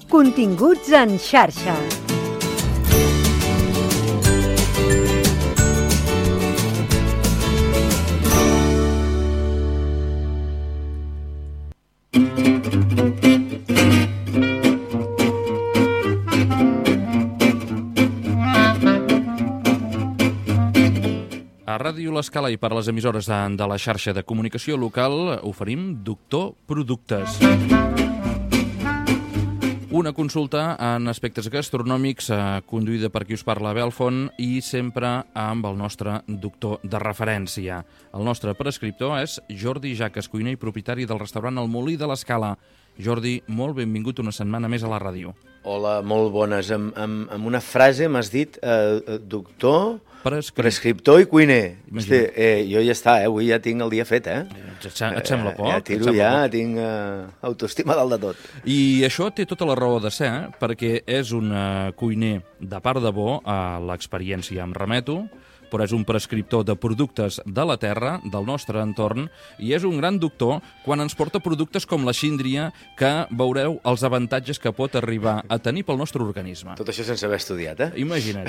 Continguts en xarxa. A Ràdio L'Escala i per a les emissores de la xarxa de comunicació local oferim Doctor Productes. Una consulta en aspectes gastronòmics conduïda per qui us parla, Abel Font, i sempre amb el nostre doctor de referència. El nostre prescriptor és Jordi Jaques, cuiner i propietari del restaurant El Molí de l'Escala. Jordi, molt benvingut una setmana més a la ràdio. Hola, molt bones. Amb una frase m'has dit doctor, prescriptor i cuiner. Hosti, jo ja està, avui ja tinc el dia fet, Et sembla poc? Ja tiro, tinc autoestima dalt de tot. I això té tota la raó de ser, perquè és un cuiner de part de bo, a l'experiència em remeto, però és un prescriptor de productes de la terra, del nostre entorn, i és un gran doctor quan ens porta productes com la síndria, que veureu els avantatges que pot arribar a tenir pel nostre organisme. Tot això sense haver estudiat, Imagina't.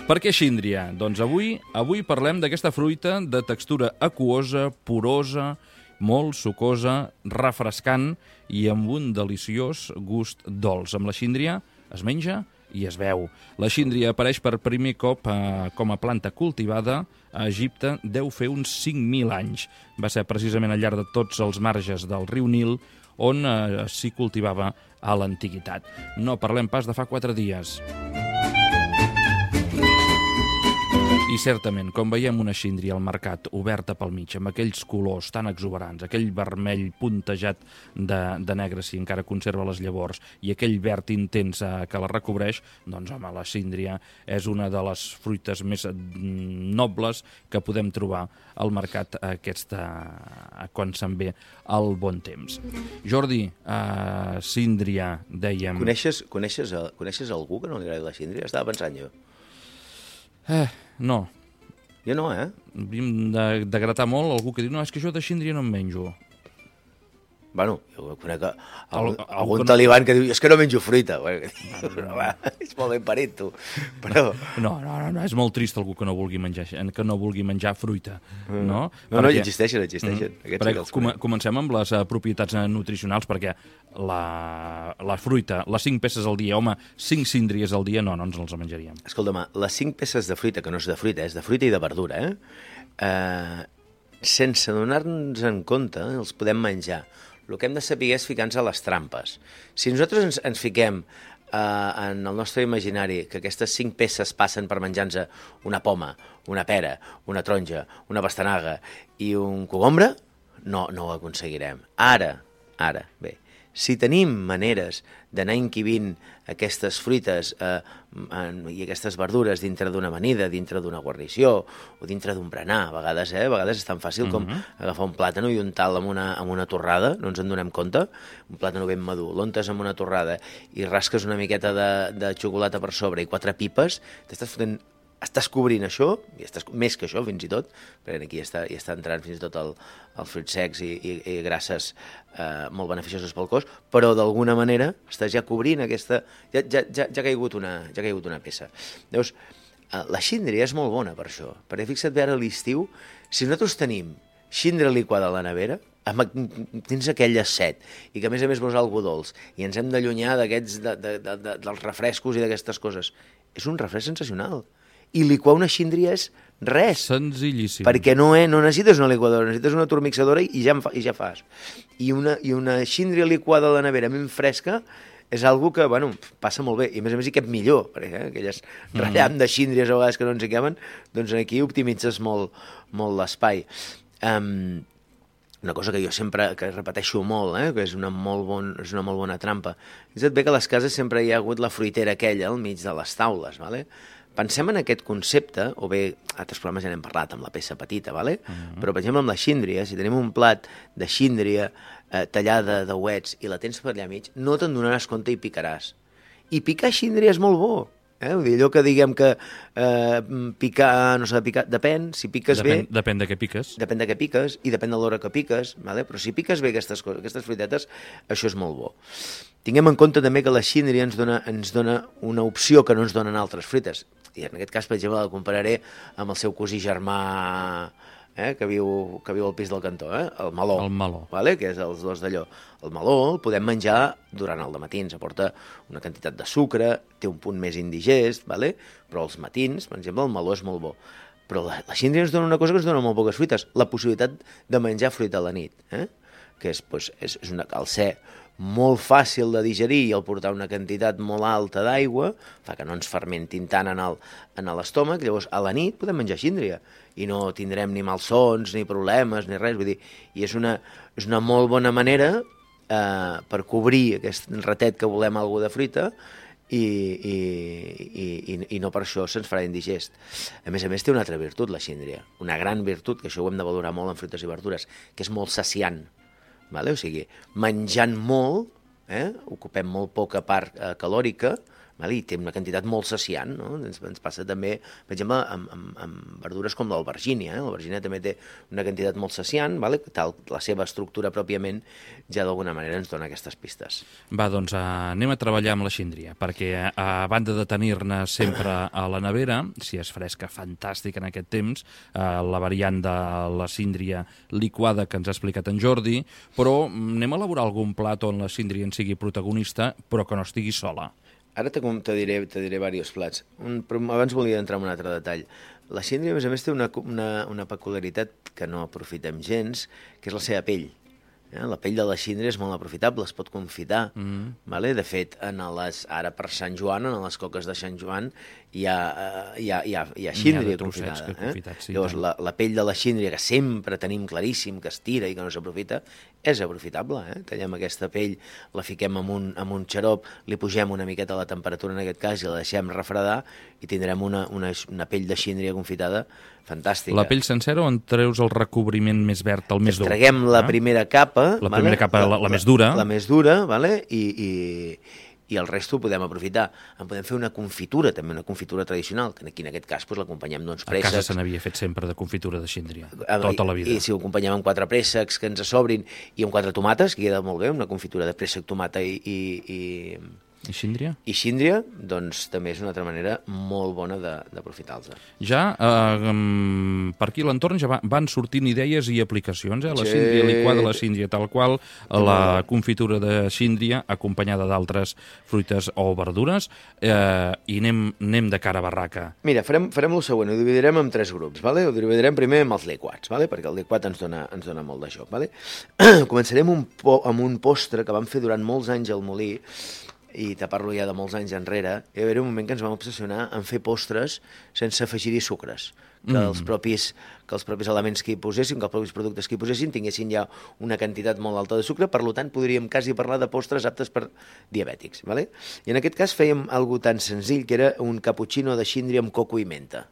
Per què síndria? Doncs avui parlem d'aquesta fruita de textura aquosa, porosa, molt sucosa, refrescant i amb un deliciós gust dolç. Amb la síndria es menja i es veu. La síndria apareix per primer cop com a planta cultivada a Egipte, deu fer uns 5.000 anys. Va ser precisament al llarg de tots els marges del riu Nil on s'hi cultivava a l'antiguitat. No parlem pas de fa 4 dies. I certament, com veiem una síndria al mercat oberta pel mig, amb aquells colors tan exuberants, aquell vermell puntejat de negre si encara conserva les llavors i aquell verd intens que la recobreix, doncs home, la síndria és una de les fruites més nobles que podem trobar al mercat quan se'n ve el bon temps. Jordi, síndria, dèiem... Coneixes algú que no li agradi la síndria? Estava pensant jo. No. Jo no, Havíem de gratar molt algú que diu no, és que jo de síndria no em menjo. Bueno, jo conec algun talibán que diu és que no menjo fruita. És molt ben parit, tu. Però... No, és molt trist algú que no vulgui menjar fruita. No, no, existeixen. Comencem amb les propietats nutricionals, perquè la fruita, les 5 peces al dia, home, 5 síndries al dia, no ens els menjaríem. Escolta'm, les 5 peces de fruita, que no és de fruita, és de fruita i de verdura, sense donar-nos en compte, els podem menjar. El que hem de saber és ficar-nos a les trampes. Si nosaltres ens fiquem en el nostre imaginari que aquestes 5 peces passen per menjar-nos una poma, una pera, una taronja, una pastanaga i un cogombre, no ho aconseguirem. Ara, bé, si tenim maneres d'anar inquibint aquestes fruites i aquestes verdures dintre d'una amanida, dintre d'una guarnició o dintre d'un berenar, a vegades és tan fàcil com agafar un plàtano i untar-lo amb una torrada, no ens en donem compte, un plàtano ben madur, l'untes amb una torrada i rasques una miqueta de xocolata per sobre i 4 pipes, estàs cobrint això, i més que això fins i tot, perquè aquí ja està entrant fins i tot els fruits secs i grasses molt beneficioses pel cos, però d'alguna manera estàs ja cobrint aquesta... Ja ha caigut una peça. Llavors, la síndria és molt bona per això, perquè fixa't bé ara a l'estiu, si nosaltres tenim síndria liquada a la nevera, tens aquella set, i que a més vols algo dolç, i ens hem d'allunyar dels refrescos i d'aquestes coses. És un refresc sensacional. I liquar una síndria és res. Senzillíssim. Perquè no necessites una liquadora, necessites una turmixadora i ja fas. I una síndria liquada a la nevera ben fresca és algo que, passa molt bé. I a més hi cap millor, perquè aquelles ratllam de síndries a vegades que no ens hi caben, doncs aquí optimitzes molt l'espai. Una cosa que jo sempre repeteixo molt, que és una molt bona trampa. És bé que a les cases sempre hi ha hagut la fruitera aquella al mig de les taules, ¿vale? Pensem en aquest concepte, o bé, altres programes ja n'hem parlat amb la peça petita, però per exemple amb la síndria, si tenim un plat de síndria tallada d'ouets i la tens per allà mig, no te'n donaràs compte i picaràs. I picar síndria és molt bo. Vull dir, allò que diguem que picar, no s'ha de picar, depèn, si piques bé... Depèn de què piques. Depèn de què piques i depèn de l'hora que piques, vale? Però si piques bé aquestes coses, aquestes fruitetes, això és molt bo. Tinguem en compte també que la síndria ens dona una opció que no ens donen altres fruites. I en aquest cas, per exemple, la compararé amb el seu cosí germà que viu al pis del cantó, el meló. El meló. Vale? Que és els dos d'allò. El meló el podem menjar durant el dematí, ens aporta una quantitat de sucre, té un punt més indigest, vale? Però als matins, per exemple, el meló és molt bo. Però la síndria ens dona una cosa que ens dona molt poques fruites, la possibilitat de menjar fruita a la nit, que és al ser molt fàcil de digerir i al portar una quantitat molt alta d'aigua, fa que no ens fermentin tant en l'estómac, llavors a la nit podem menjar síndria i no tindrem ni malsons, ni problemes, ni res, vull dir, i és una molt bona manera per cobrir aquest ratet que volem alguna de fruita i no per això se'ns farà indigest. A més, té una altra virtut, la síndria, una gran virtut, que això ho hem de valorar molt en fruites i verdures, que és molt saciant. Vale? O sigui, menjant molt, ocupem molt poca part calòrica, vale? I té una quantitat molt saciant, no? Ens passa també, per exemple, amb verdures com l'albergínia. L'albergínia també té una quantitat molt saciant, vale? La seva estructura pròpiament ja d'alguna manera ens dona aquestes pistes. Va, doncs anem a treballar amb la síndria, perquè a banda de tenir-ne sempre a la nevera, si és fresca, fantàstic en aquest temps, la variant de la síndria liquada que ens ha explicat en Jordi, però anem a elaborar algun plat on la síndria en sigui protagonista, però que no estigui sola. Ara te diré diversos plats, però abans volia entrar en un altre detall. La síndria, a més, té una peculiaritat que no aprofitem gens, que és la seva pell. La pell de la síndria és molt aprofitable, es pot confitar. Vale? De fet, ara per Sant Joan, en les coques de Sant Joan, hi ha síndria confitada. Llavors, la pell de la síndria, que sempre tenim claríssim que es tira i que no s'aprofita, és aprofitable. Tallem aquesta pell, la fiquem amb un xarop, li pugem una miqueta la temperatura en aquest cas i la deixem refredar i tindrem una pell de síndria confitada fantàstica. La pell sencera o en treus el recobriment més verd, el més dur? Treguem la primera capa. La primera capa, la més dura. La més dura, vale? I el resto ho podem aprofitar. En podem fer una confitura, també una confitura tradicional, que aquí en aquest cas l'acompanyem d'uns préssecs. A casa se n'havia fet sempre de confitura de síndria, tota la vida. I si ho acompanyem amb 4 préssecs que ens sobrin i amb 4 tomates, que queda molt bé, una confitura de préssec, tomata i síndria? I síndria, doncs també és una altra manera molt bona d'aprofitar-los. Ja, per aquí a l'entorn ja van sortint idees i aplicacions, la síndria liquada, la síndria tal qual, la confitura de síndria acompanyada d'altres fruites o verdures, i anem de cara a barraca. Mira, farem el següent, ho dividirem en 3 grups, vale? Ho dividirem primer amb els liquats, vale? Perquè el liquat ens dona molt de joc. Vale? Començarem amb un postre que vam fer durant molts anys al molí, i te parlo ja de molts anys enrere, hi va haver un moment que ens vam obsessionar en fer postres sense afegir-hi sucres, que els propis elements que hi posessin, que els propis productes que hi posessin tinguessin ja una quantitat molt alta de sucre, per tant podríem quasi parlar de postres aptes per diabètics. Vale? I en aquest cas fèiem algo tan senzill que era un cappuccino de síndria amb coco i menta.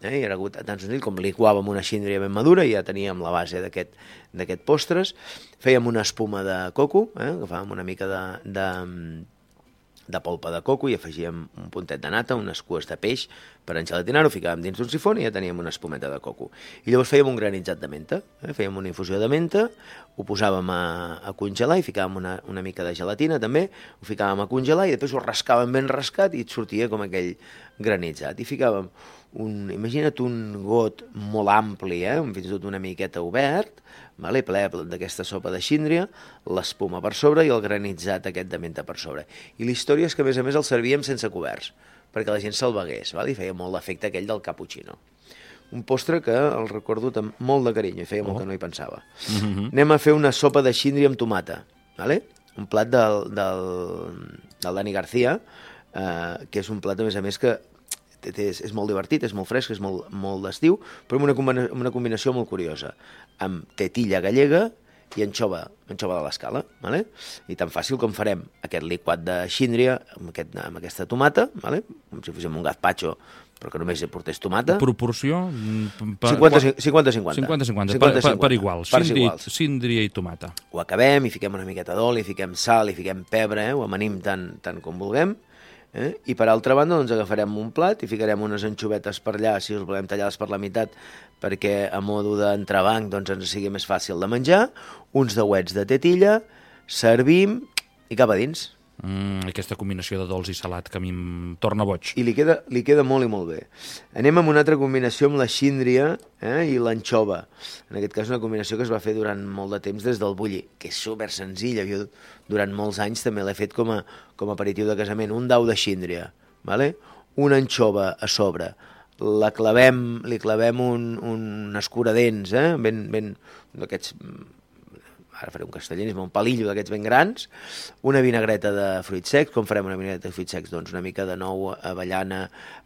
I era tan senzill com liquàvem una síndria ben madura i ja teníem la base d'aquest postres. Fèiem una espuma de coco, agafàvem una mica de polpa de coco i afegíem un puntet de nata, unes cues de peix per engelatinar-ho, ficàvem dins d'un sifon i ja teníem una espumeta de coco. I llavors fèiem un granitzat de menta, fèiem una infusió de menta, ho posàvem a congelar i ficàvem una mica de gelatina també, ho ficàvem a congelar i després ho rascàvem ben rascat i et sortia com aquell granitzat. I ficàvem imagina't un got molt ampli, fins i tot una miqueta obert, ple d'aquesta sopa de síndria, l'espuma per sobre i el granitzat aquest de menta per sobre. I la història és que, a més el servíem sense coberts, perquè la gent se'l begués, i feia molt l'efecte aquell del cappuccino. Un postre que el recordo amb molt de carinyo, i feia molt que no hi pensava. Anem a fer una sopa de síndria amb tomata, un plat del Dani García, que és un plat, a més que és molt divertit, és molt fresc, és molt d'estiu, però amb una combinació molt curiosa, amb tetilla gallega i anxova de l'Escala. I tan fàcil com farem aquest liquat de síndria amb aquesta tomata, com si féssim un gazpacho, però que només portés tomata. Proporció? 50-50. 50-50, per igual. Síndria i tomata. Ho acabem i fiquem una miqueta d'oli, fiquem sal i fiquem pebre, ho amanim tant com vulguem. I per altra banda doncs, agafarem un plat i ficarem unes anxovetes per allà, si us volem tallades per la meitat, perquè a modo d'entrebanc doncs, ens sigui més fàcil de menjar, uns dauets de tetilla, servim i cap a dins. Aquesta combinació de dolç i salat que a mi em torna boig. I li queda molt i molt bé. Anem amb una altra combinació amb la síndria i l'anxova. En aquest cas una combinació que es va fer durant molt de temps des del bulli, que és super senzilla. Jo durant molts anys també l'he fet com a aperitiu de casament. Un dau de síndria, vale? Una anxova a sobre. Li clavem un escuradents, ben d'aquests... Ara faré un castellanisme, un palillo d'aquests ben grans, una vinagreta de fruits secs. Com farem una vinagreta de fruits secs? Doncs una mica de nou, avellana,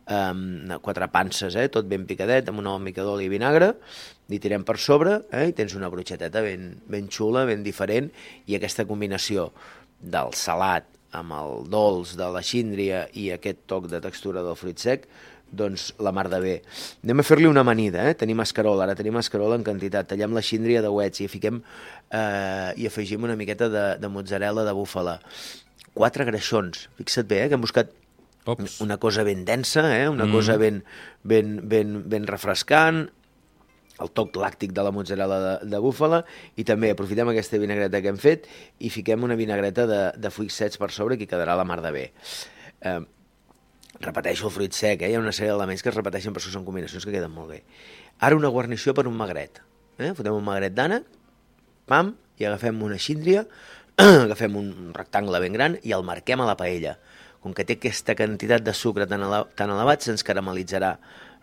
4 panses, tot ben picadet, amb una mica d'oli i vinagre, li tirem per sobre, i tens una brotxeteta ben xula, ben diferent, i aquesta combinació del salat amb el dolç de la síndria i aquest toc de textura del fruit sec, doncs la mar de bé. Anem a fer-li una amanida, tenim escarol, ara tenim escarol en quantitat, tallem la síndria de uets i fiquem i afegim una miqueta de mozzarella de búfala. 4 greixons, fixa't bé, que hem buscat una cosa ben densa, una cosa ben refrescant, el toc làctic de la mozzarella de búfala, i també aprofitem aquesta vinagreta que hem fet i fiquem una vinagreta de fruits secs per sobre, que quedarà la mar de bé. Repeteixo el fruit sec, hi ha una sèrie d'elements que es repeteixen, però són combinacions que queden molt bé. Ara una guarnició per un magret. Fotem un magret d'ànec, pam, i agafem una síndria, agafem un rectangle ben gran i el marquem a la paella. Com que té aquesta quantitat de sucre tan elevat, se'ns caramelitzarà.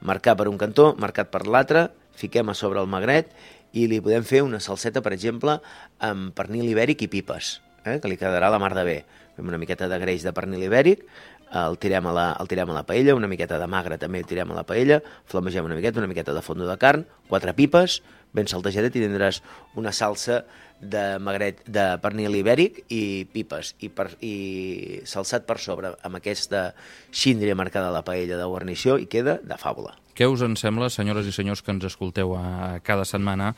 Marcar per un cantó, marcat per l'altre, fiquem a sobre el magret i li podem fer una salseta, per exemple, amb pernil ibèric i pipes, que li quedarà la mar de bé. Fem una miqueta de greix de pernil ibèric, el tirem a la paella, una miqueta de magre també el tirem a la paella, flamegem una miqueta de fondo de carn, 4 pipes, ben saltejadet, i tindràs una salsa de magret de pernil ibèric i pipes, i salsat per sobre amb aquesta síndria marcada a la paella de guarnició, i queda de fàbula. Què us en sembla, senyores i senyors que ens escolteu cada setmana,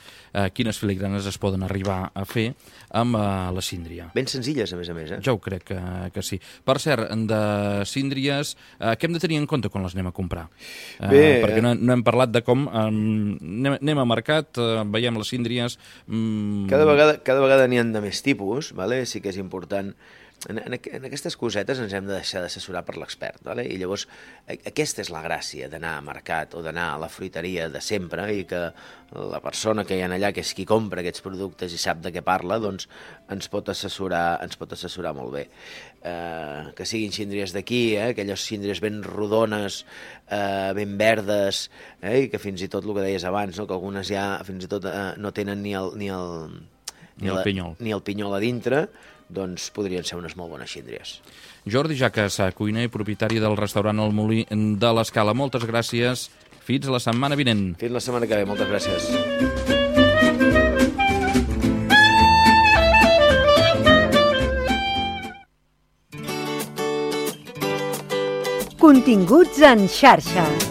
quines filigranes es poden arribar a fer amb la síndria? Ben senzilles, a més. Jo ho crec que sí. Per cert, de síndries, què hem de tenir en compte quan les anem a comprar? Perquè no hem parlat de com anem a mercat, veiem les síndries... Cada vegada n'hi ha de més tipus, vale? Sí que és important... En aquestes cosetes ens hem de deixar d'assessorar per l'expert, vale? I llavors aquesta és la gràcia d'anar a mercat o d'anar a la fruiteria de sempre, i que la persona que hi ha allà, que és qui compra aquests productes i sap de què parla, doncs ens pot assessorar molt bé. Que siguin síndries d'aquí, aquelles síndries ben rodones, ben verdes, i que fins i tot el que deies abans, que algunes ja fins i tot no tenen ni el pinyol a dintre, doncs podrien ser unes molt bones síndries. Jordi Jaques, cuiner i propietari del restaurant El Molí de l'Escala. Moltes gràcies. Fins la setmana vinent. Fins la setmana que ve. Moltes gràcies. Continguts en xarxa.